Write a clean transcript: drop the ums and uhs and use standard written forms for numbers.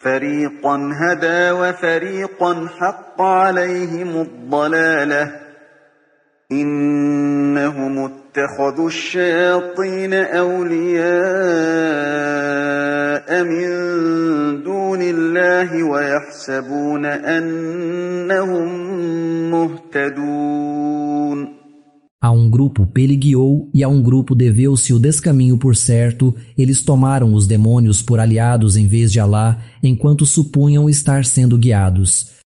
فَرِيقًا هَدَى وَفَرِيقًا حَقَّ عَلَيْهِمُ الضَّلَالَةُ إِنَّهُمُ اتَّخَذُوا الشَّيَاطِينَ أَوْلِيَاءَ مِن دُونِ اللَّهِ وَيَحْسَبُونَ أَنَّهُم مُّهْتَدُونَ. A um grupo peliguiou e a um grupo deveu-se o descaminho por certo, eles tomaram os demônios por aliados em vez de Alá, enquanto supunham estar sendo guiados.